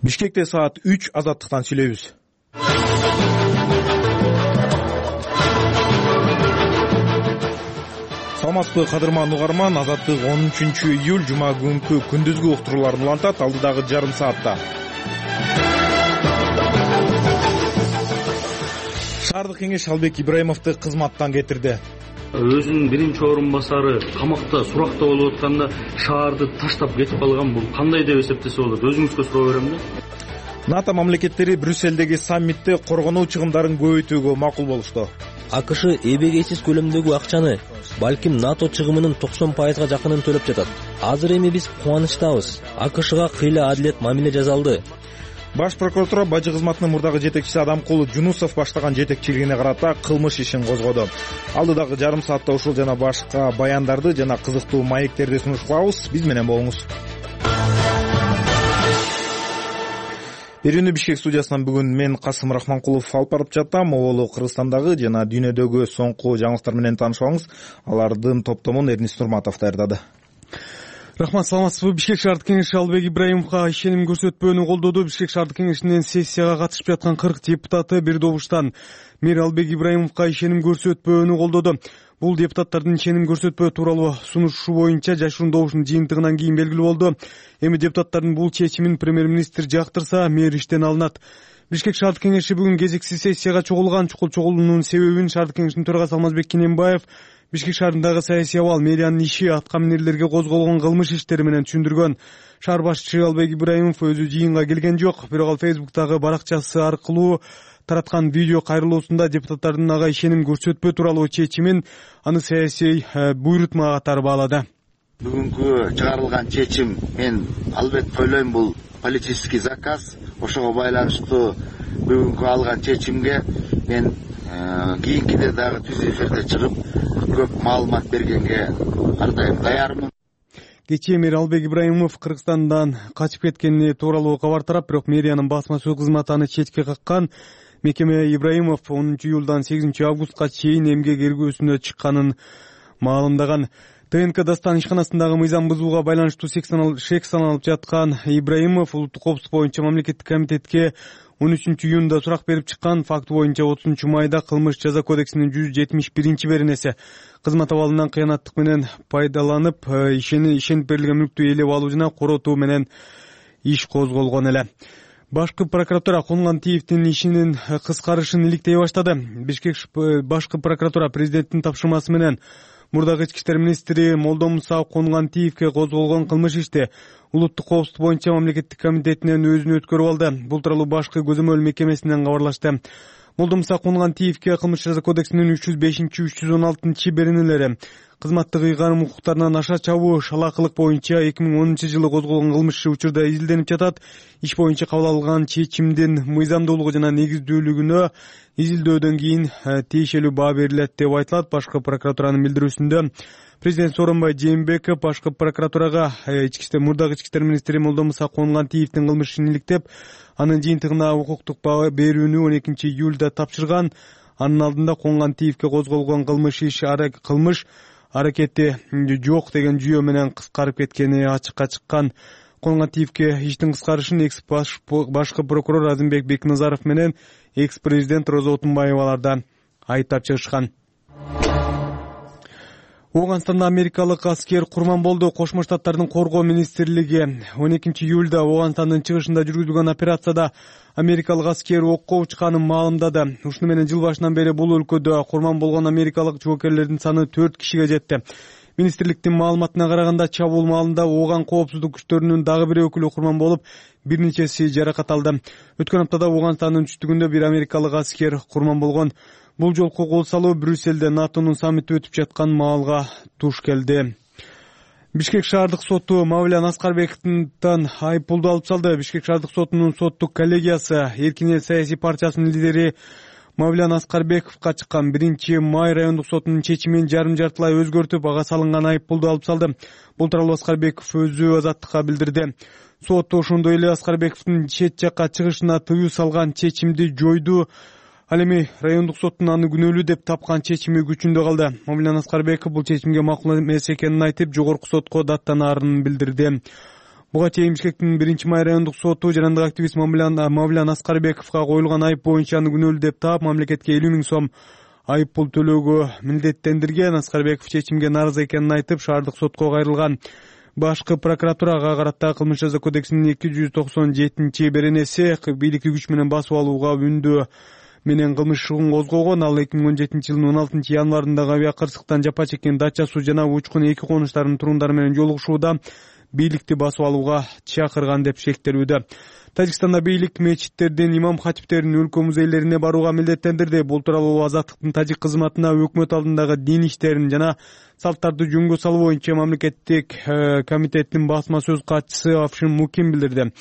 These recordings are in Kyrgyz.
Бишкекте саат 3 азаттыктан сүйлөйбүз. Саламатсызбы кадырман угарман, Азаттык 13 июль жума күнкү күндүзгү уктурууларын улантат алдыдагы жарым саатта. Шаардык кеңеш Албек Ибраимовду кызматтан кетирди. Өзүнүн биринчи орун басары камакта суракта болуп атканда шаарды таштап кетип калган, бул кандай деп эсептесе болот? Өзүңүзгө суроо берем да. НАТО мамлекеттери Брюссельдеги саммитте коргонуу чыгымдарын көбөйтүүгө макул болушту. АКШ эбегейсиз көлөмдөгү акчаны, балким НАТО чыгымынын 90% жакынын төлөп жатат. Азыр эми биз кубанычтабыз. АКШга кыйла адилет мамиле жасалды. Баш прокуратура бажы кызматынын мурдагы жетекчиси Адамкулу Жунусов баштаган жетекчилигине карата кылмыш ишин козгоду. Алдыдагы жарым саатта ушул жана башка баяндарды жана кызыктуу маектерди сунуш кылабыз. Биз менен болуңуз. Берүүнү Бишкек студиясынан бүгүн мен Касым Рахманкулов алып барып жатам. Оболу Кыргызстандагы жана дүйнөдөгү соңку жаңылыктар менен таанышабыңыз. Алардын топтомун Эрнис Нурматов даярдады. Рахмат, саламатсызбы? Бишкек шаардык кеңеши Албек Ибраимовго ишеним көрсөтпөөнү колдоду. Бишкек шаардык кеңешинин сессияга катышып жаткан 40 депутаты бир добуштан мэр Албек Ибраимовго ишеним көрсөтпөөнү колдоду. Бул депутаттардын ишеним көрсөтпөө тууралуу сунушу боюнча жашыруун добуштун жыйынтыгынан кийин белгилүү болду. Эми депутаттардын бул чечимин премьер-министр жактырса, мэр иштен алынат. Бишкек шаардык кеңеши бүгүн кезексиз сессияга чогулган. Чукул чогулуунун себебин шаардык кеңешинин төрагасы Алмазбек Кененбаев Бишкек шаарындагы саясий абал, мэриянын иши, аткаминерлерге козголгон кылмыш иштери менен түшүндүргөн. Шаар башчысы Албек Ибраимов өзү жыйынга келген жок, бирок ал Facebook'тагы баракчасы аркылуу тараткан видео кайрылуусунда депутаттардын ага ишеним көрсөтпөө тууралуу чечимин аны саясий буйрутма катары баалады. Бүгүнкү чыгарылган чечим, мен албетте ойлойм, бул политический заказ. Ошого байланыштуу бүгүнкү алган чечимге мен кийинкиде дагы түз эфирде чыгып көп маалымат бергенге ар дайым даярмын. Кечээ мэр Албек Ибраимов Кыргызстандан качып кеткени тууралуу кабар тарап, бирок мэриянын басма сөз кызматы аны четке каккан. Мекеме Ибраимов 10 июлдан 8 августка чейин эмгек эргөөсүнө чыкканын маалымдаган. ТНК Дастан ишканасындагы мыйзам бузууга байланыштуу шек саналып жаткан Ибраимов улуттук коопсуздук боюнча мамлекеттик комитетке 13 июнда сурак берип чыккан. Факт боюнча 30 майда кылмыш жаза кодексинин 171 беренеси кызмат абалынан кыянаттык менен пайдаланып ишенип берилген мүлктү ээлеп алуу жана коротуу менен иш козголгон эле. Башкы прокуратура Кулмантиевдин ишинин кыскарышын иликтей баштады. Бишкек башкы прокуратура президенттин тапшырмасы менен мурдагы ички иштер министри Молдомуса Кулмантиевге козголгон кылмыш ишти улуттук коопсуздук боюнча мамлекеттик комитетинен өзүнө өткөрүп алды. Бул тууралуу башкы көзөмөл мекемесинен кабарлашты. Молдомуса Кулмантиевге кылмыш жаза кодексинин 305-316 беренелери кызматтык ыйгарым укуктарынан аша чабуу, шалаакылык боюнча 2010 жылы козголгон кылмыш учурда изилденип жатат. Иш боюнча кабыл алган чечимдин мыйзамдуулугу жана негиздүүлүгүнө изилдөөдөн кийин тиешелүү баа берилет деп айтылат. Башкы прокуратуранын билдирүүсүндө президент Сооронбай Жээнбеков башкы прокуратурага мурдагы ички иштер министри Молдомуса Кулмантиевдин кылмыш ишин иликтеп, анын жыйынтыгына укуктук баа берүүнү 12 июлда тапшырган. Анын алдында Кулмантиевге козголгон кылмыш аракети жок деген жүйө менен кыскарып кеткени ачыкка чыккан. Кулмантиевге иштин кыскарышын экс башкы прокурор Азимбек Бекназаров менен экс президент Роза Отунбаеваларда айыптап чыгышкан. Ооганстанда америкалык аскер курман болду. Кошмо Штаттардын коргоо министрлиги 12 июлда Ооганстандын чыгышында жүргүзүлгөн операцияда америкалык аскер окко учканын маалымдады. Ушуну менен жыл башынан бери бул өлкөдө курман болгон америкалык жоокерлердин саны 4 кишиге жетти. Министрликтин маалыматына караганда, чабуул маалында Ооган коопсуздук күчтөрүнүн дагы бир өкүлү курман болуп, бир нечеси жаракат алды. Өткөн аптада Ооганстандын түштүгүндө бир америкалык аскер курман болгон. Бул жолку кол салуу Брюссельде НАТОнун саммити өтүп жаткан маалга туш келди. Бишкек шаардык соту Мавлян Аскарбековдон айыппулду алып салды. Бишкек шаардык сотунун соттук коллегиясы Эркин эл саясий партиясынын лидери Мавлян Аскарбековго чыккан 1 май райондук сотунун чечимин жарым-жартылай өзгөртүп, ага салынган айыппулду алып салды. Бул тууралуу Аскарбеков өзү азаттыкка билдирди. Сот ошондой эле Аскарбековдун чет жакка чыгышына тыюу салган чечимди жойду. Ал эми райондук соттун аны күнөөлүү деп тапкан чечими күчүндө калды. Мамилан Аскарбеков бул чечимге макул эмес экенин айтып, жогорку сотко даттанаарын билдирди. Буга чейин Бишкектин 1-май райондук соту жарандык активист Мавлян Аскарбековго коюлган айып боюнча аны күнөөлүү деп таап, мамлекетке 50 000 сом айып пул төлөөгө милдеттендирген. Аскарбеков чечимге нааразы экенин айтып, шаардык сотко кайрылган. Башкы прокуратурага карата Кылмыш жаза кодексинин 297-беренеси бийликти күч менен басып алууга үндөө менен кылмыш ишин козгогон. Ал 2017 жылдын 16 январындагы авиакырсыктан жапа чеккен Дача суу жана Учкун эки конуштарынын турундары менен жолугушууда бийликти басып алууга чакырган деп шектелүүдө. Тажикстанда бийлик мечиттердин, имам хатиптердин өлкө музейлерине барууга милдеттендирди. Бул тууралуу Азаттыктын тажик кызматына өкмөт алдындагы дин иштерин жана салттарды жөнгө салуу боюнча мамлекеттик комитеттин басма сөз катчысы Афшин Мукин билдирди.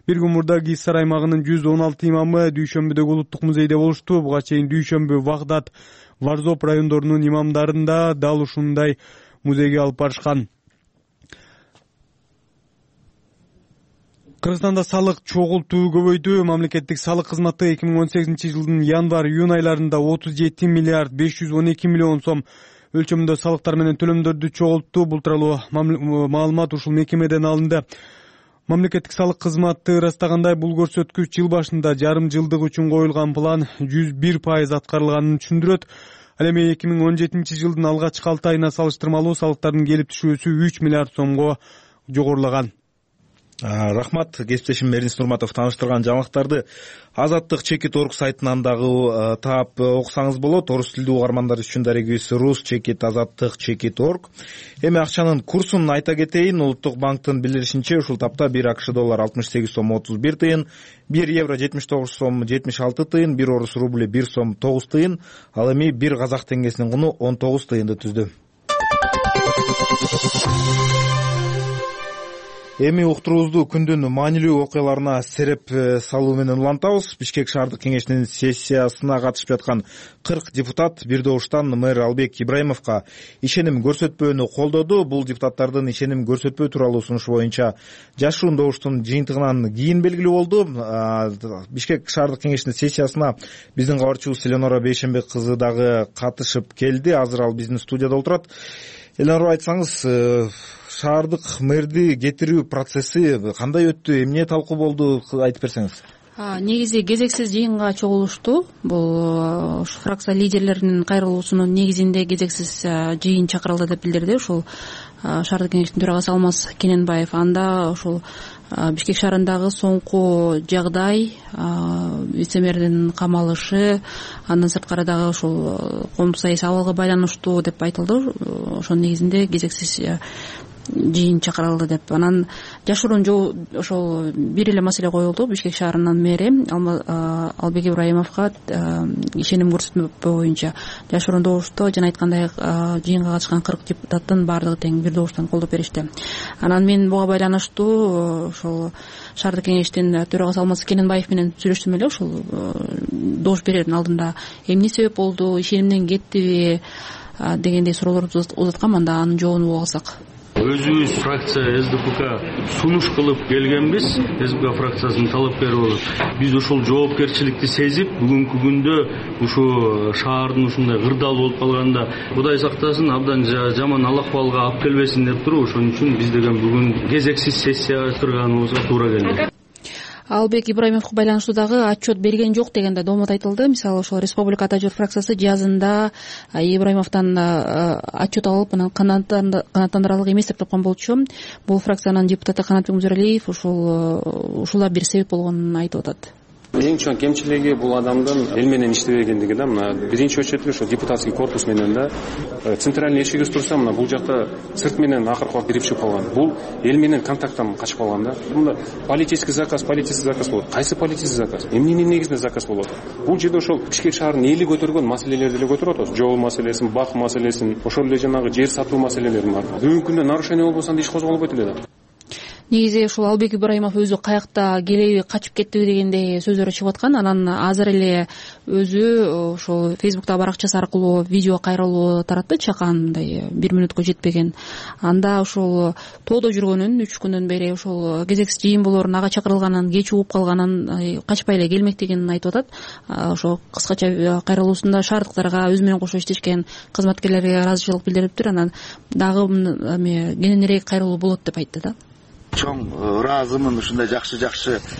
Bir gün murda Гиссар аймагынын 116 имамы Дүйшөмбүдөгү улуттук музейде болушту. Буга чейин Дүйшөмбү, Вагдат, Варзоп райондорунун имамдарын да дал ушундай музейге алып барышкан. Кыргызстанда салык чогултуу көбөйдү. Мамлекеттик салык кызматы 2018 жылдын январ-июнь айларында 37 миллиард 512 миллион сом өлчөмүндө салыктар менен төлөмдөрдү чогултту. Бул тууралуу маалымат ушул мекемеден алынды. Мамлекеттик салык кызматы ырастагандай, бул көрсөткүч жыл башында жарым жылдык үчүн коюлган план 101% аткарылганын түшүндүрөт. Ал эми 2017 жылдын алгачкы 6 айына салыштырмалуу салыктардын келип түшүүсү 3 миллиард сомго жогорулаган. Рахмат, кесиптешим Эрнис Нурматов тааныштырган жаңылыктарды Азаттык.org сайтынан дагы таап окусаңыз болот. Орус тилдүү угармандар үчүн дарегибиз rus.azattik.org. Эми акчанын курсун айта кетейин. Улуттук банктын билдиришинче, ушул тапта 1 АКШ доллар 68 сом 31 тыйын, 1 евро 79 сом 76 тыйын, 1 орус рубль 1 сом 9 тыйын, ал эми 1 казак теңгесинин куну 19 тыйынды түздү. Эми уктуруубузду күндүн маанилүү окуяларына сереп салуу менен улантабыз. Бишкек шаардык кеңешинин сессиясына катышып жаткан 40 депутат бир добуштан мэр Албек Ибраимовго ишеним көрсөтпөөнү колдоду. Бул депутаттардын ишеним көрсөтпөө тууралуу сунушу боюнча жашыруун добуштун жыйынтыгынан кийин белгилүү болду. Бишкек шаардык кеңешинин сессиясына биздин кабарчыбыз Эленора Бейшенбек кызы дагы катышып келди. Азыр ал биздин студияда отурат. Эленора, айтсаңыз, шаардык мэрди кетирүү процесси кандай өттү, эмне талкуу болду, айтып берсеңиз. Негизи кезексиз жыйынга чогулушту. Бул фракция лидерлеринин кайрылуусунун негизинде кезексиз жыйын чакырылды деп билдирди. Ушул шаардык кеңештин төрагасы Алмаз Кененбаев. Анда ушул Бишкек шаарындагы соңку жагдай, вице-мэрдин камалышы, андан сырткары дагы ушул коомдук саясий абалга байланыштуу деп айтылды. Ошонун негизинде кезексиз жыйын чакырылды деп. Анан жашыруун ошол бир эле маселе коюлду. Бишкек шаарынын мэри Албек Ибраимовго ишеним көрсөтмө боюнча жашыруун добушта жана айткандай жыйынга катышкан 40 депутаттын баардыгы тең бир добуштан колдоп беришти. Анан мен буга байланыштуу ошол шаардык кеңештин төрагасы Алмаз Кененбаев менен сүйлөштүм эле. Ошол добуш берердин алдында эмне себеп болду, ишенимден кеттиби дегендей суроолорду узаткам. Анда анын жообун угуп алсак. Өзүбүз фракция СДПК сунуш кылып келгенбиз. СДПК фракциясынын талапкери болуп, биз ушул жоопкерчиликти сезип, бүгүнкү күндө ушу шаардын ушундай кырдаал болуп калганда Кудай сактасын, абдан жаман алакыбалга алып келбесин деп туруп, ошон үчүн биз деген бүгүн кезексиз сессия өткөргөнүбүзгө туура келди. Албек Ибраимовго байланыштуу дагы отчет берген жок деген да доомот айтылды. Мисалы ошол Республика Ата журт фракциясы жазында Ибраимовдон отчет алып, анан канааттандырарлык эмес деп тапкан болчу. Бул фракциянын депутаты Канатбек Музералиев ушула бир себеп болгонун айтып атат. Эң чоң кемчилиги бул адамдын эл менен иштебегендиги да. Мына биринчи очередде ошо депутатский корпус менен да центральный эшигибиз турса, мына бул жакта сырт менен акыркы убакыт бирип чыгып калган. Бул эл менен контакттан качып калган да. Мында политический заказ болот. Кайсы политический заказ? Эмненин негизинде заказ болот? Бул жерде ошол Бишкек шаарынын эли көтөргөн маселелерди эле көтөрүп атабыз. Жол маселесин, бак маселесин, ошол эле жанагы жер сатуу маселелерин бар. Бүгүнкү күндө нарушение болбосо анда иш козголбойт эле да. Негизи ушул Албек Ибраимов өзү каякта келеби, качып кеттиби дегендей сөздөр чыгып аткан. Анан азыр эле өзү ошол Facebook'та баракчасы аркылуу видео кайрылуу таратты, чакандай 1 мүнөткө жетпеген. Анда ошол тоодо жүргөнүн, 3 күндөн бери ошол кезексиз жыйын болорун, ага чакырылганын, кеч угуп калганын, качпай эле келмектигин айтып атат. Ошол кыскача кайрылуусунда шаардыктарга өзү менен кошо иштешкен кызматкерлерге ыраазычылык билдириптир. Анан дагы кененирээк кайрылуу болот деп айтты да. чоң ыраазымын ушундай жакшы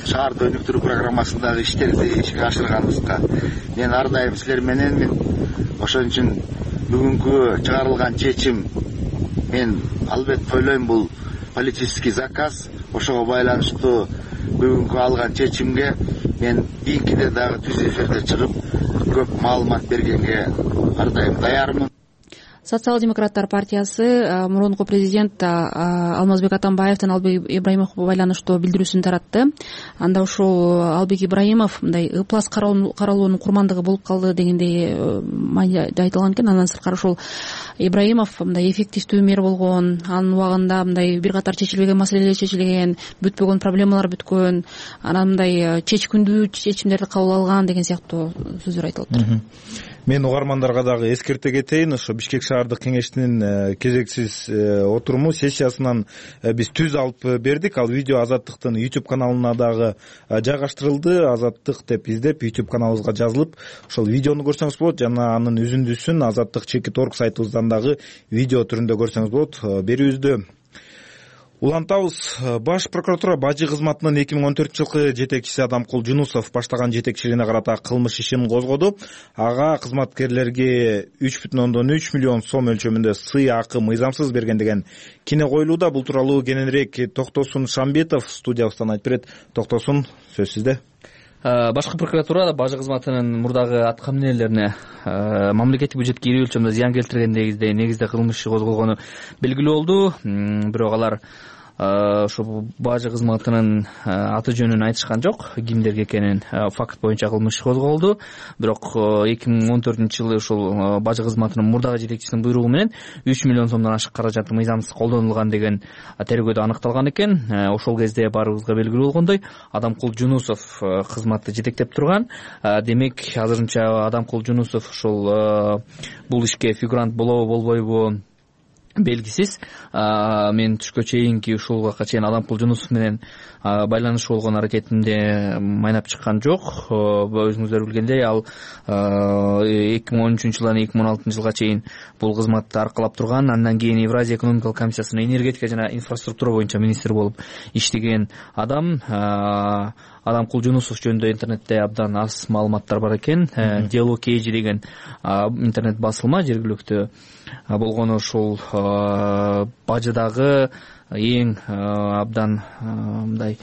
шаарды өнүктүрүү программасындагы иштерди ишке ашырганыбызга. Мен ар дайым силер мененмин. Ошон үчүн бүгүнкү чыгарылган чечим мен албетте ойлойм бул политический заказ. Ошого байланыштуу бүгүнкү алган чечимге мен кийинкиде дагы түз эфирде чыгып көп маалымат бергенге ар дайым даярмын. Социал-демократтар партиясы мурунку президент Алмазбек Атамбаевдин Албек Ибраимовго байланыштуу билдирүүсүн таратты. Анда ушул Албек Ибраимов мындай ыплас каралуунун курмандыгы болуп калды дегендей майда айтылган экен. Андан сырткары ушул Ибраимов мындай эффективдүү мэр болгон, анын убагында мындай бир катар чечилбеген маселелер чечилген, бүтпөгөн проблемалар бүткөн, анан мындай чечкиндүү чечимдерди кабыл алган деген сыяктуу сөздөр айтылып. Мен угармандарга дагы эскерте кетейин. Ошо Бишкек шаардык кеңештин кезексиз отуруму сессиясынан биз түз алып бердик. Ал видео Азаттыктын YouTube каналына дагы жайгаштырылды. Азаттык деп издеп YouTube каналыбызга жазылып, ошол видеону көрсөңүз болот. Жана анын үзүндүсүн Азаттык.org сайтыбыздан дагы видео түрүндө көрсөңүз болот. Берүүбүздү улантабыз. Баш прокуратура бажы кызматынын 2014-жылкы жетекчиси Адамкул Жунусов баштаган жетекчилигине карата кылмыш ишин козгоду. Ага кызматкерлерге 3,3 миллион сом өлчөмүндө сый акы мыйзамсыз берген деген кине коюлууда. Бул тууралуу кененирээк Токтосун Шамбетов студиябыздан айтып берет. Токтосун, сөз сизде. Башкы прокуратура бажы кызматынын мурдагы аткам энелерине мамлекеттик бюджетке ири өлчөмдө зыян келтиргендеги негизде кылмыш иши козголгону белгилүү болду. Бирок алар ошо бажы кызматынын аты жөнүн айтышкан жок, кимдерге экенин. Факт боюнча кылмыш иши козголду. Бирок 2014-жылы ушул бажы кызматынын мурдагы жетекчисинин буйругу менен 3 миллион сомдон ашык каражат мыйзамсыз колдонулган деген тергөөдө аныкталган экен. Ошол кезде баарыбызга белгилүү болгондой, Адамкул Жунусов кызматты жетектеп турган. Демек, азырынча Адамкул Жунусов ушул бул ишке фигурант болобу болбойбу белгисиз. Мен түшкө чейинки ушул убакка чейин Адамкул Жунусов менен байланышуу болгон аракетинде майнап чыккан жок. Өзүңүздөр билгендей, ал 2013-жылдан 2016-жылга чейин бул кызматты аркалап турган. Андан кийин Евразия экономикалык комиссиясынын энергетика жана инфраструктура боюнча министр болуп иштеген адам. Адамкул Жунусов жөнүндө интернетте абдан аз маалыматтар бар экен. Дело Кейжи деген интернет басылма жергиликтүү болгону ушул бажыдагы эң абдан мындай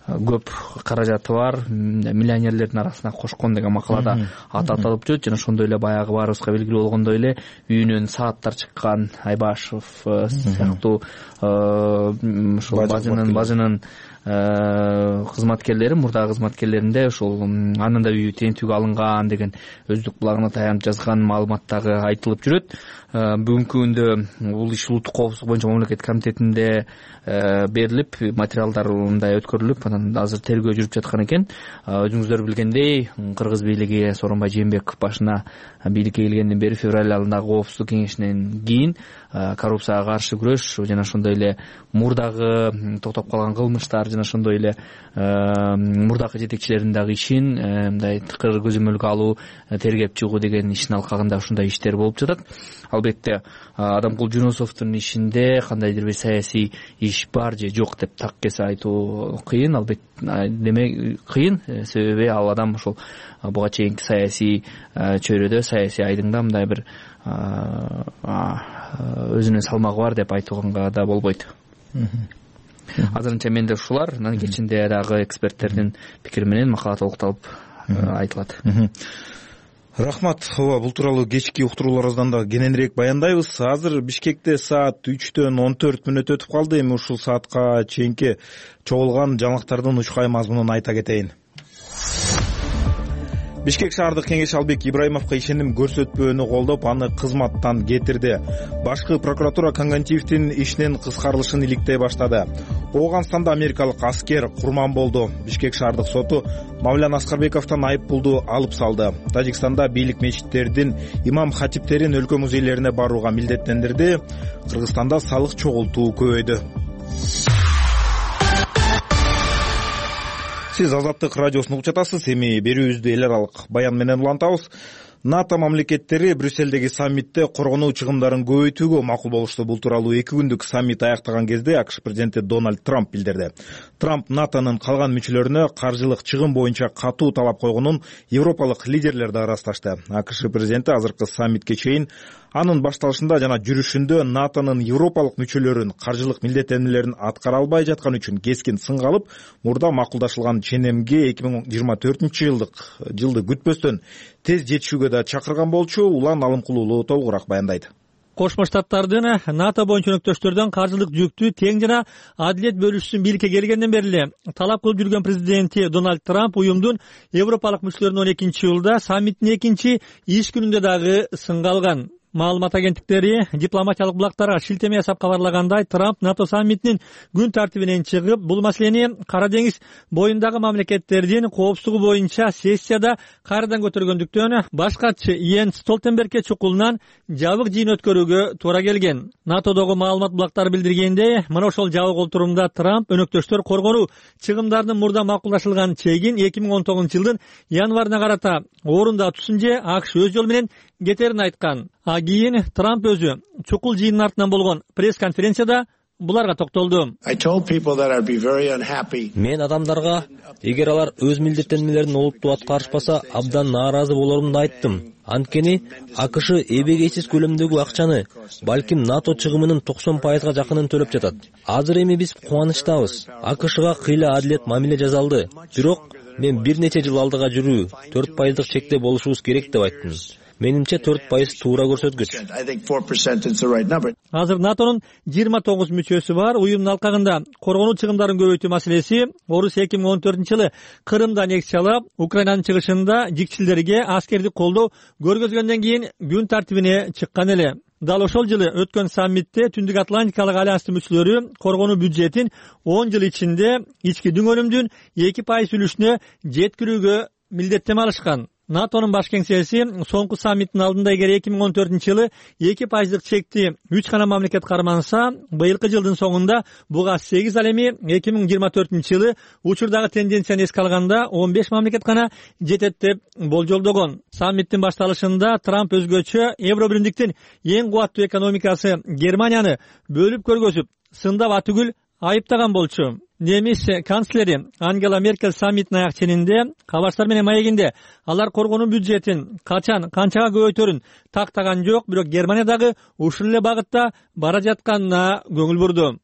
көп каражаты бар миллионерлердин арасына кошкон деген макалада аты аталып жүрөт. Жана ошондой эле баягы баарыбызга белгилүү болгондой эле үйүнөн сааттар чыккан Айбашев сыяктуу ушул бажынын кызматкерлери, мурдагы кызматкерлеринде ушул анын да үйү тентүүгө алынган деген өздүк булагына таянып жазган маалыматтагы айтылып жүрөт. Бүгүнкү күндө бул иш улуттук коопсуздук боюнча мамлекеттик комитетинде берилип, материалдар мындай өткөрүлүп, анан азыр тергөө жүрүп жаткан экен. Өзүңүздөр билгендей, Кыргыз бийлиги Сооронбай Жээнбеков башына бийликке келгенден бери февраль айындагы коопсуздук кеңешинен кийин коррупцияга каршы күрөш жана ошондой эле мурдагы токтоп калган кылмыштар жана ошондой эле мурдагы жетекчилердин дагы ишин мындай тыкыр көзөмөлгө алуу, тергеп чыгуу деген ишин алкагында ушундай иштер болуп жатат. Албетте Адамкул Жунусовдун ишинде кандайдыр бир саясий иш бар же жок деп так кесе айтуу кыйын. Албетте демек кыйын, себеби ал адам ошол буга чейинки саясий чөйрөдө, саясий айдыңда мындай бир өзүнүн салмагы бар деп айтууга да болбойт. Азырынча менде ушулар, анан кечинде дагы эксперттердин пикири менен макала толукталып айтылат. Рахмат. Бул тууралуу кечки уктурууларыбыздан да кененирээк баяндайбыз. Азыр Бишкекте саат 3:14 өтүп калды. Эми ушул саатка чейинки чогулган жаңылыктардын учкай мазмунун айта кетейин. Бишкек шаардык кеңеш Албек Ибраимовго ишеним көрсөтпөөнү колдоп, аны кызматтан кетирди. Башкы прокуратура Конгантиевдин ишинин кыскарылышын иликтей баштады. Ооганстанда америкалык аскер курман болду. Бишкек шаардык соту Мавлян Аскарбековдон айып пулду алып салды. Тажикстанда бийлик мечиттердин имам хатиптерин өлкө музейлерине барууга милдеттендирди. Кыргызстанда салык чогултуу көбөйдү. Сиз Азаттык радиосун угуп жатасыз. Эми берүүбүздү эл аралык баян менен улантабыз. НАТО мамлекеттери Брюссельдеги саммитте коргонуу чыгымдарын көбөйтүүгө макул болушту. Бул тууралуу 2 күндүк саммит аяктаган кезде АКШ президенти Дональд Трамп билдирди. Трамп НАТОнун калган мүчөлөрүнө каржылык чыгым боюнча катуу талап койгонун европалык лидерлер да ырасташты. АКШ президенти азыркы саммитке чейин анын башталышында жана жүрүшүндө НАТОнун европалык мүчөлөрүн каржылык милдеттенмелерин аткара албай жатканы үчүн кескин сынга алып, мурда макулдашылган ченемге 2024-жылды күтпөстөн тез жетишүүгө да чакырган болчу. Улан Алымкулуулу толугураак баяндайт. Кошмо Штаттардын НАТО боюнча өнөктөштөрдөн каржылык жүктү тең жана адилет бөлүшүшүн бийликке келгенден бери эле талап кылып жүргөн президенти Дональд Трамп уюмдун европалык мүчөлөрүнүн 12-жылда саммиттин 2-иш күнүндө дагы сынга алган. Маалымат агенттиктери дипломатиялык булактарга шилтеме жасап кабарлагандай, Трамп НАТО саммитинин күн тартибинен чыгып, бул маселени Кара деңиз боюндагы мамлекеттердин коопсуздугу боюнча сессияда кайрадан көтөргөндүктөн баш катчы Йенс Столтенбергке чукулунан жабык жыйын өткөрүүгө туура келген. НАТОдогу маалымат булактары билдиргендей, мына ошол жабык олтурумда Трамп өнөктөштөр коргонуу чыгымдарынын мурда макулдашылган чегин 2019-жылдын январына карата орундатуусун же АКШ өз жолу менен кетерин айткан. Кийин Трамп өзү чукул жыйындын артынан болгон пресс-конференцияда буларга токтолду. Мен адамдарга, эгер алар өз милдеттенмелерин олуттуу аткарышпаса, абдан нааразы болорумду айттым. Анткени АКШ эбегейсиз көлөмдөгү акчаны, балким НАТО чыгымынын 90% жакынын төлөп жатат. Азыр эми биз кубанычтабыз. АКШга кыйла адилет мамиле жасалды. Бирок мен бир нече жыл алдыга жүрүү, 4% чекте болушубуз керек деп айттым. Менимче 4% туура көрсөткүч. Азыр НАТОнун 29 мүчөсү бар. Уюмдун алкагында коргонуу чыгымдарын көбөйтүү маселеси Орусия 2014-жылы Крымдан нексе алып, Украинанын чыгышында жикчилдерге аскердик колдоо көргөзгөндөн кийин күн тартибине чыккан эле. Дал ошол жылы өткөн саммитте Түндүк Атлантикалык альянстын мүчөлөрү коргонуу бюджетин 10 жыл ичинде ички дүң-өнүмдүн 2% үлүшүнө жеткирүүгө милдеттеме алышкан. НАТОнун баш кеңсеси соңку саммиттин алдында эгер 2014-жылы 2% чекти 3 гана мамлекет карманса, быйылкы жылдын соңунда буга 8, ал эми 2024-жылы учурдагы тенденцияны эске алганда 15 мамлекет гана жетет деп болжолдогон. Саммиттин башталышында Трамп өзгөчө Евробиримдиктин эң кубаттуу экономикасы Германияны бөлүп көргөзүп, сындап атүгүл айыптаган болчу. Немис канцлери Ангела Меркель саммиттин аяк ченинде кабарчылар менен маегинде алар коргонуу бюджетин качан, канчага көбөйтөрүн тактаган жок, бирок Германиядагы ушул эле багытта бара жатканына көңүл бурду.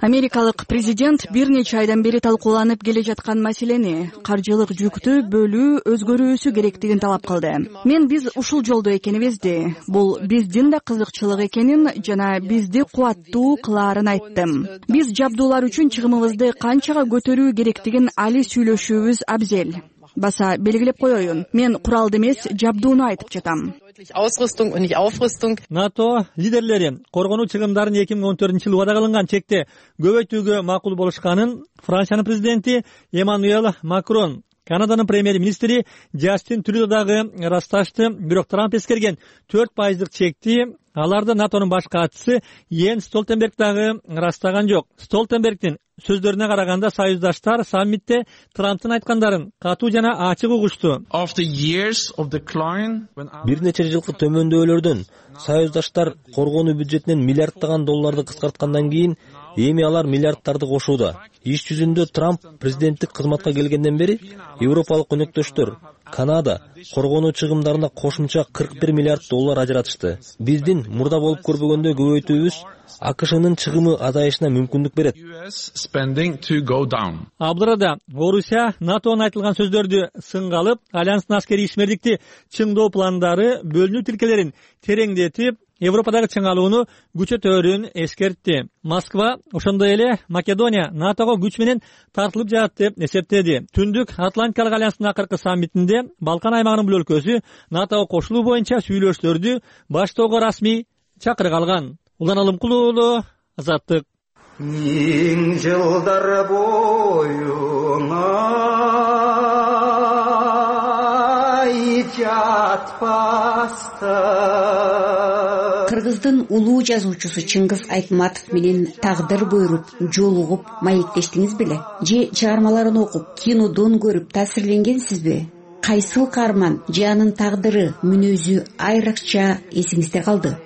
Америкалык президент бир нече айдан бери талкууланып келе жаткан маселени, каржылык жүктү бөлүү өзгөрүүсү керектигин талап кылды. Мен биз ушул жолдо экенибизди, бул биздин да кызыкчылык экенин жана бизди кубаттуу кылаарын айттым. Биз жабдуулар үчүн чыгымыбызды канчага көтөрүү керектигин али сүйлөшүүбүз абзел. Баса белгилеп коеюн, мен куралды эмес, жабдууну айтып жатам. НАТО лидерлери коргонуу чыгымдарын 2014-жылы убада кылынган чекте көбөйтүүгө макул болушканын Франциянын президенти Эммануэль Макрон, Канаданын премьер-министри Джастин Трюдо дагы ырасташты. Бирок Трамп эскерген 4% чекти аларды НАТОнун баш катчысы Йенс Столтенберг дагы ырастаган жок. Столтенбергдин сөздөрүнө караганда, союздаштар саммитте Трамптын айткандарын катуу жана ачык угушту. Бир нече жылкы төмөндөөлөрдөн союздаштар коргонуу бюджетинен миллиарддаган долларды кыскарткандан кийин эми алар миллиарддарды кошууда. Иш жүзүндө Трамп президенттик кызматка келгенден бери европалык өнөктөштөр Канада коргонуу чыгымдарына кошумча 41 миллиард доллар ажыратышты. Биздин мурда болуп көрбөгөндөй көбөйтүүбүз АКШнын чыгымы азайышына мүмкүндүк берет. Абдырада Орусия НАТОнун айтылган сөздөрдү сынга алып, альянстын аскерий ишмердикти чыңдоо пландары бөлүнүү тилкелерин тереңдетип, Европадагы чыңалууну күчөтөөрүн эскертти. Москва ошондой эле Македония НАТОго күч менен тартылып жатат деп эсептеди. Түндүк Атлантикалык альянстын акыркы саммитинде Балкан аймагынын бул өлкөсү НАТОго кошулуу боюнча сүйлөшүүлөрдү баштоого расмий чакырык алган. Улан Алымкулуулу, Азаттык. Миң жылдар боюна жатпаста. Кыргыздын улуу жазуучусу Чыңгыз Айтматов менен тагдыр буйруп, жолугуп маектештиңиз беле? Же чыгармаларын окуп, кинодон көрүп таасирленгенсизби? кайсыл каарман же анын тагдыры, мүнөзү айрыкча эсиңизде калды?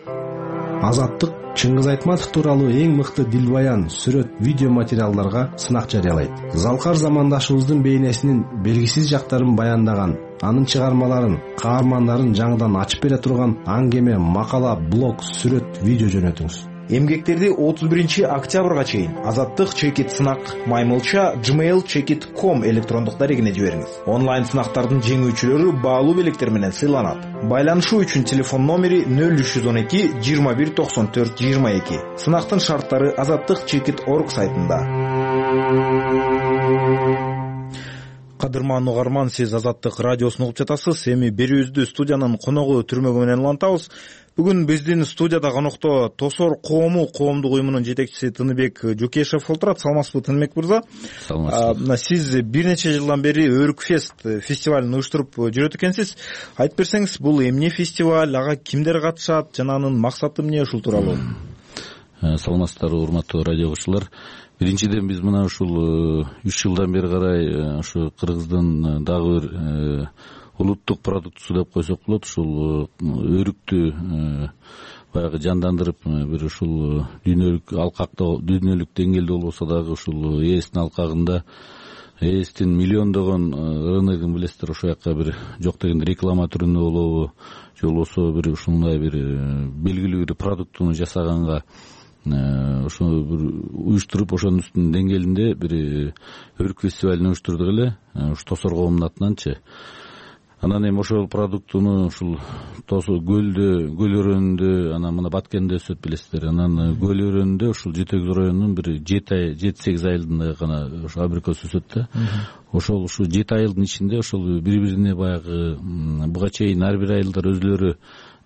Азаттык Чыңгыз Айтматов тууралуу эң мыкты дилбаян, сүрөт, видео материалдарга сынак жарыялайт. Залкар замандашыбыздын бейнесинин белгисиз жактарын баяндаган, анын чыгармаларын, каармандарын жаңыдан ачып бере турган аңгеме, макала, блог, сүрөт, видео жөнөтүңүз. Эмгектерди 31-октябрга чейин Азаттык чекит сынак маймылча gmail.com электрондук дарегине жибериңиз. Онлайн сынактардын жеңүүчүлөрү баалуу белектер менен сыйланат. Байланышуу үчүн телефон номери 0312 21 94 22. Сынактын шарттары azattikchekit.org сайтында. Кадырман угарман, сиз Азаттык радиосун угуп жатасыз. Эми берүүбүздү студиянын коногу Түрмөгү менен улантабыз. Бүгүн биздин студияда конокто Тосор коому коомдук уюмунун жетекчиси Тыныбек Жукешев отурат. Саламатсызбы, Тыныбек мырза? Саламатсызбы. Сиз бир нече жылдан бери Өрүкфест фестивалын уюштуруп жүрөт экенсиз. Айтып берсеңиз, бул эмне фестиваль, ага кимдер катышат жана анын максаты эмне, ушул тууралуу? Саламатсыздарбы, урматтуу радио угуучулар. Биринчиден биз мына ушул 3 жылдан бери карай ушу Кыргыздын дагы бир улуттук продуктусу деп койсок болот, ушул өрүктү баягы жандандырып, бир ушул дүйнөлүк алкакта, дүйнөлүк деңгээлде болбосо дагы ушул ээстин алкагында, ээстин миллиондогон рыногун билесиздер, ошол жака бир жок дегенде реклама түрүндө болобу, же болбосо бир ушундай бир белгилүү бир продуктуну жасаганга ошону бир уюштуруп, ошонун үстүнүн деңгээлинде бир өрүк фестивалын уюштурдук эле, ушу Тосор коомунун атынанчы. Анан эми ошол продуктуну ушул көлдө, көл өрөөнүндө, анан мына Баткенде өсөт билесиздер. Анан көл өрөөнүндө ушул Жетек районунун бир 7-8 айылында гана ошо абрикос өсөт да. Ошол ушу 7 айылдын ичинде ошол бири-бирине баягы буга чейин ар бир айылдар өзлөрү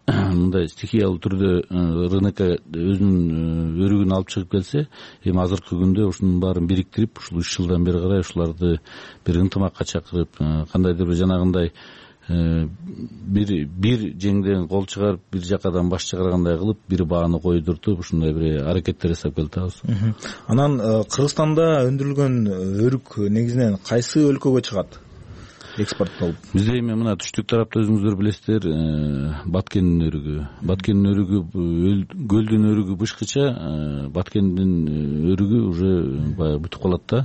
мындай стихиялуу түрдө рынокко өзүнүн өрүгүн алып чыгып келсе, эми азыркы күндө ушунун баарын бириктирип, ушул 3 жылдан бери карай ушуларды бир ынтымакка чакырып, кандайдыр бир жанагындай бир жеңден кол чыгарып, бир жакадан баш чыгаргандай кылып, бир бааны койдуртуп, ушундай бир аракеттер жасап келатабыз. Анан Кыргызстанда өндүрүлгөн өрүк негизинен кайсы өлкөгө чыгат? Экспорттолуп. Бизде эми мына түштүк тарапта өзүңүздөр билесиздер, Баткендин өрүгү, көлдүн өрүгү бышкыча, Баткендин өрүгү уже баягы бүтүп калат да.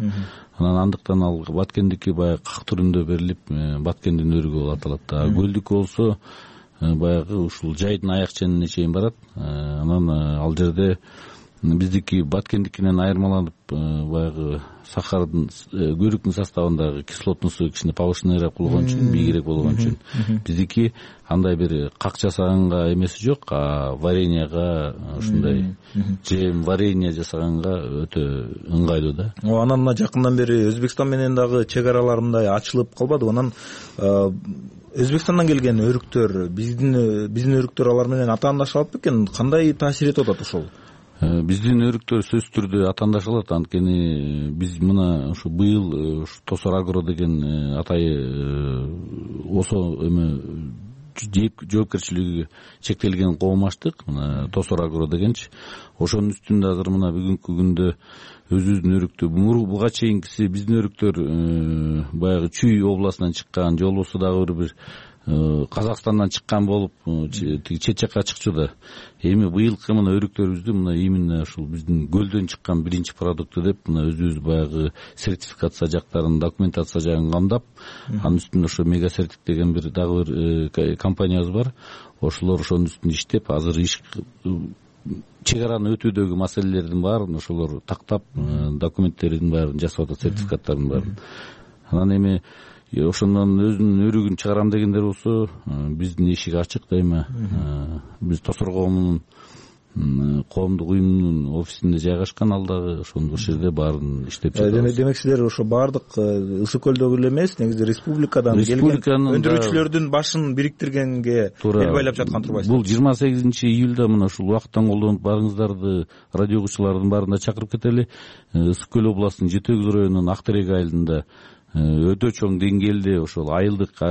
Анан андыктан ал Баткендики баягы как түрүндө берилип, Баткендин өрүгү болуп аталат да. Көлдүкү болсо баягы ушул жайдын аяк ченине чейин барат. Анан ал жерде биздики Баткендикинен айырмаланып, баягы сахардын, көрүктүн составындагы кислотнусу кичине повышенныйраак болгон үчүн, бийигирээк болгон үчүн, биздики андай бир как жасаганга эмеси жок, а вареньяга, ушундай жем варенье жасаганга өтө ыңгайлуу да. Анан мына жакындан бери Өзбекстан менен дагы чек араларындай ачылып калбадыбы? Анан Өзбекстандан келген өрүктөр, биздин өрүктөр алар менен атаандашалат бекен? Кандай таасир этип атат ошол? Биздин өрүктөр сөзсүз түрдө атаандашалат. Анткени биз мына ушу быйыл Тосор Агро деген атайы осо эме жоопкерчилиги чектелген коом ачтык. Мына Тосор Агро дегенчи. Ошонун үстүндө азыр мына бүгүнкү күндө өзүбүздүн өрүктү, буга чейинкиси биздин өрүктөр баягы Чүй областынан чыккан, же болбосо дагы бир Казакстандан чыккан болуп, чет жакка чыкчу да. Эми быйылкы мына өрүктөрүбүздү мына именно ушул биздин көлдөн чыккан биринчи продукту деп, мына өзүбүз баягы сертификация жактарын, документация жагын камдап, анын үстүндө ошо Мега Сертик деген бир дагы бир компаниябыз бар. Ошолор ошонун үстүндө иштеп, азыр иш чек араны өтүүдөгү маселелердин баарын ошолор тактап, документтердин баарын жасап атат, сертификаттардын баарын. Анан эми ошондон өзүнүн өрүгүн чыгарам дегендер болсо, биздин эшик ачык дайыма. Биз Тосор коомунун коомдук уюмунун офисинде жайгашкан, ал дагы ошол жерде баарын иштеп жатабыз. Демек силер ошо баардык Ысык көлдөгү эле эмес, негизи республикадан келген өндүрүүчүлөрдүн башын бириктиргенге бел байлап жаткан турбайсызбы? Бул 28-июлда мына ушул убакыттан колдонуп барыңыздарды, радио угуучулардын баарына чакырып кетели. Ысык көл областынын Жетек районунун Актерек айылында өтө чоң деңгээлде ошол айылдык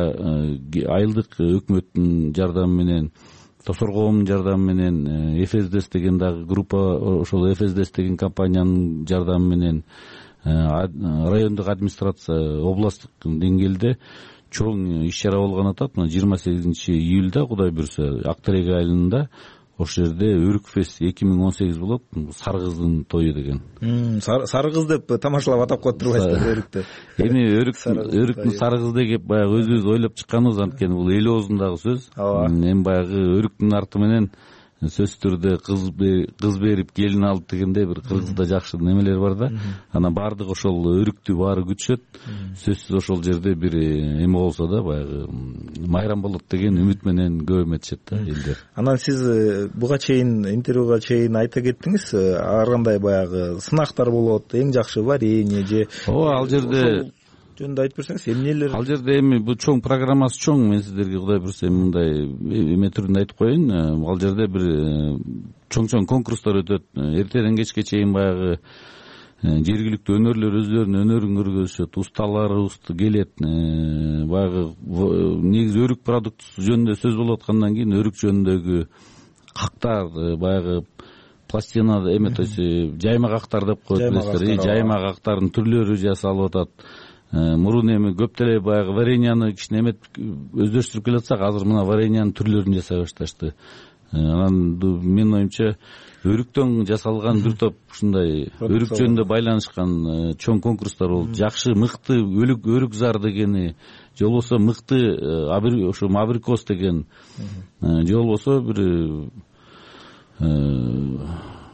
өкмөттүн жардамы менен, Тосор коомунун жардамы менен, ФСДС деген дагы группа, ошол ФСДС деген компаниянын жардамы менен, райондук администрация, областтык деңгээлде чоң иш чара болгон атат. Мына 28 июлда Кудай буюрса Ак Терек айылында ошол жерде Өрүк фест 2018 болот. Сары кыздын тою деген. Сары кыз деп тамашалап атап коюп турбайсыздар Өрүктү. Эми Өрүктүн сары кызы деп баягы өзүбүз ойлоп чыкканбыз, анткени бул эл оозундагы сөз. Эми баягы Өрүктүн арты менен сөзсүз түрдө кыз берип келин алып дегенде бир кыргызда жакшы немелер бар да. Анан баардык ошол Өрүктү баары күтүшөт. Сөзсүз ошол жерде бир эме болсо да баягы майрам болот деген үмүт менен көп эметишет да элдер. Анан сиз буга чейин интервьюга чейин айта кеттиңиз, ар кандай баягы сынактар болот, эң жакшы варенье же ал жерде жөнүндө айтып берсеңиз, эмнелер? Ал жерде эми бул чоң программасы чоң. Мен сиздерге Кудай буюрса мындай эме түрүндө айтып коеюн. Ал жерде бир чоң конкурстар өтөт. Эртеден кечке чейин баягы жергиликтүү өнөрлөр өзлөрүнүн өнөрүн көргөзүшөт. Усталарыбыз келет. Баягы негизи өрүк продуктысы жөнүндө сөз болуп аткандан кийин өрүк жөнүндөгү кактар, баягы пластина эме, то есть жайма кактар деп коет билесиздер. Жайма кактардын түрлөрү жасалып атат. Мурун эми көп деле баягы вареньяны кичине эмет өздөштүрүп келатсак, азыр мына вареньянын түрлөрүн жасай башташты. Анан менин оюмча өрүктөн жасалган бир топ ушундай өрүк жөнүндө байланышкан чоң конкурстар болуп, жакшы мыкты өрүк зар дегени, же болбосо мыкты ошо абрикос деген, же болбосо бир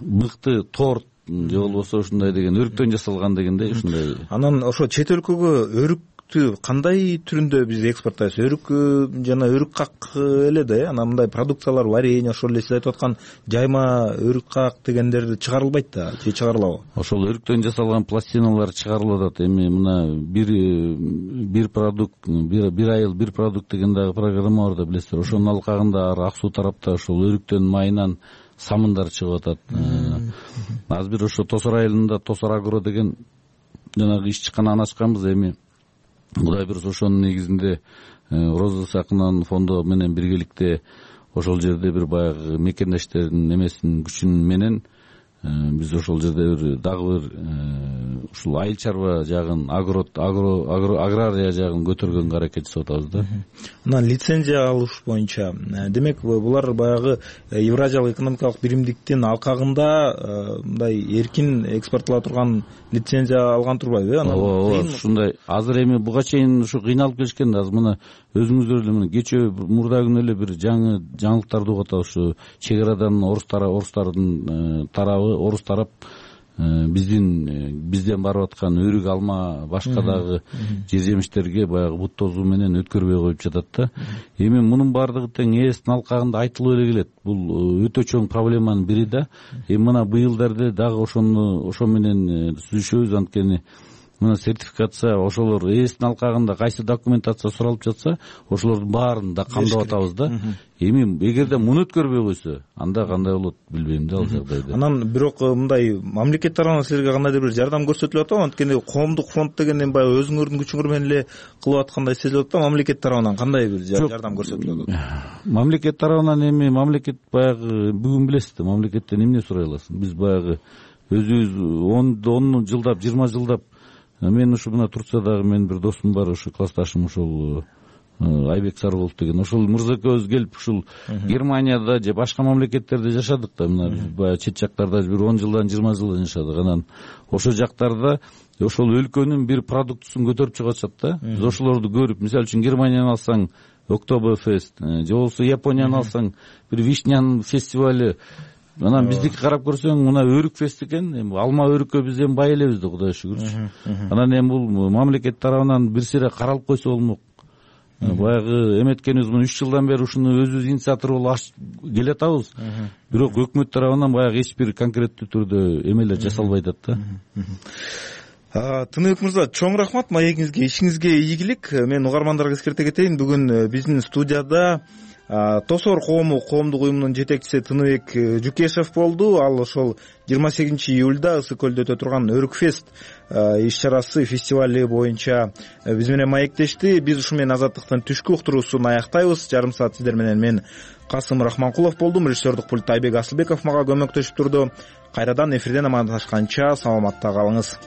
мыкты торт, же болбосо ушундай деген өрүктөн жасалган дегендей ушундай. Анан ошо чет өлкөгө өрүктү кандай түрүндө биз экспорттайбыз? Өрүк жана өрүк как эле да, анан мындай продукциялар, варенье, ошол эле сиз айтып аткан жайма өрүк как дегендер чыгарылбайт да, же чыгарылабы? Ошол өрүктөн жасалган пластиналар чыгарылып атат. Эми мына бир продукт, бир айыл бир продукт деген дагы программа бар да, билесиздер. Ошонун алкагында Ак Суу тарапта ошол өрүктөн майынан самындар чыгып атат. Азыр бир ошо Тосор айылында Тосор Агро деген жанагы ишчкананы ачканбыз. Эми Кудай буюрса ошонун негизинде Роза Сакынанын фонду менен биргеликте ошол жерде бир баягы мекендештердин эмесинин күчү менен биз ошол жерде бир дагы бир ушул айыл чарба жагын, агрария жагын көтөргөнгө аракет жасап атабыз да. Анан лицензия алыш боюнча, демек булар баягы Евразиялык экономикалык биримдиктин алкагында мындай эркин экспорттола турган лицензия алган турбайбы? Ооба, ушундай. Азыр эми буга чейин ушу кыйналып келишкен да. Азыр мына өзүңүздөр эле мына кечээ мурда күнү эле бир жаңылыктарды угуп атабыз. Ушу чек арадан орустардын тарабы, орус тарап бизден барып аткан өрүк, алма, башка дагы жер жемиштерге баягы бут тозуу менен өткөрбөй коюп жатат да. Эми мунун баардыгы тең ээстин алкагында айтылып эле келет. Бул өтө чоң проблеманын бири да. Эми мына быйылдарда дагы ошо менен сүзүшөбүз, анткени мына сертификация ошолор ээстин алкагында кайсы документация суралып жатса, ошолордун баарын да камдап атабыз да. Эми эгерде муну өткөрбөй койсо, анда кандай болот билбейм да ал жагдайда. Анан бирок мындай мамлекет тарабынан силерге кандайдыр бир жардам көрсөтүлүп атабы? Анткени коомдук фонд деген эми баягы өзүңөрдүн күчүңөр менен эле кылып аткандай сезилип атат да. Мамлекет тарабынан кандай бир жардам көрсөтүлүп атат? Мамлекет тарабынан эми мамлекет баягы бүгүн билесиз, мамлекеттен эмне сурай аласың? Биз баягы өзүбүз 10 жылдап, 20 жылдап, мен ушу мына Турциядагы менин бир досум бар, ушу классташым, ошол Айбек Сарыгулов деген. Ошол мырза экөөбүз келип ушул Германияда же башка мамлекеттерде жашадык да. Мына биз баягы чет жактарда бир 10 жылдан 20 жылдан жашадык. Анан ошол жактарда ошол өлкөнүн бир продуктусун көтөрүп чыгышат да. Биз ошолорду көрүп, мисалы үчүн Германияны алсаң Октоберфест, же болбосо Японияны алсаң бир вишнянын фестивали. Анан биздики карап көрсөң, мына өрүк фест экен. Эми алма өрүккө биз эми бай элебиз да, Кудайга шүгүрчү. Анан эми бул мамлекет тарабынан бир сире каралып койсо болмок. Баягы эметкенибиз муну 3 жылдан бери ушуну өзүбүз инициатор болуп келатабыз. Бирок өкмөт тарабынан баягы эч бир конкреттүү түрдө эмелер жасалбай атат да. Тыныбек мырза, чоң рахмат маегиңизге, ишиңизге ийгилик. Мен угармандарга эскерте кетейин, бүгүн биздин студияда Тосор коомдук уюмунун жетекчиси Тыныбек Жукешев болду. Ал ошол 28 июлда Ысык көлдө өтө турган Өрүк фест иш чарасы, фестивали боюнча биз менен маектешти. Биз ушу менен Азаттыктын түшкү уктуруусун аяктайбыз. Жарым саат сиздер менен мен Касым Рахманкулов болдум. Режиссердик пультта Айбек Асылбеков мага көмөктөшүп турду. Кайрадан эфирден амандашканча саламатта калыңыз.